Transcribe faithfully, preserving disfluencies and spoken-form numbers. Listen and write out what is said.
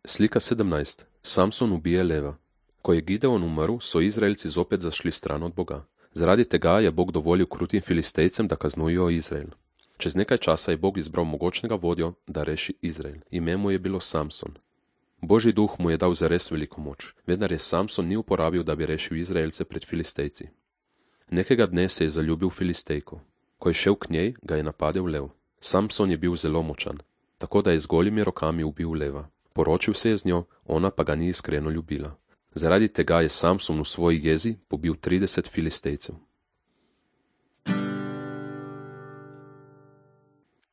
Slika sedemnajst. Samson ubije leva. Ko je Gideon umrl, so Izraelci zopet zašli stran od Boga. Zaradi tega je Bog dovolil krutim Filistejcem, da kaznujejo Izrael. Čez nekaj časa je Bog izbral mogočnega vodjo, da reši Izrael. Ime mu je bilo Samson. Božji duh mu je dal zares veliko moč, vendar je Samson ni uporabil, da bi rešil Izraelce pred Filistejci. Nekega dne se je zaljubil v Filistejko. Ko je šel k njej, ga je napadel lev. Samson je bil zelo močan, tako da je z golimi rokami ubil leva. Poročil se je z njo, ona pa ga ni iskreno ljubila. Zaradi tega je Samson v svoji jezi pobil trideset Filistejcev.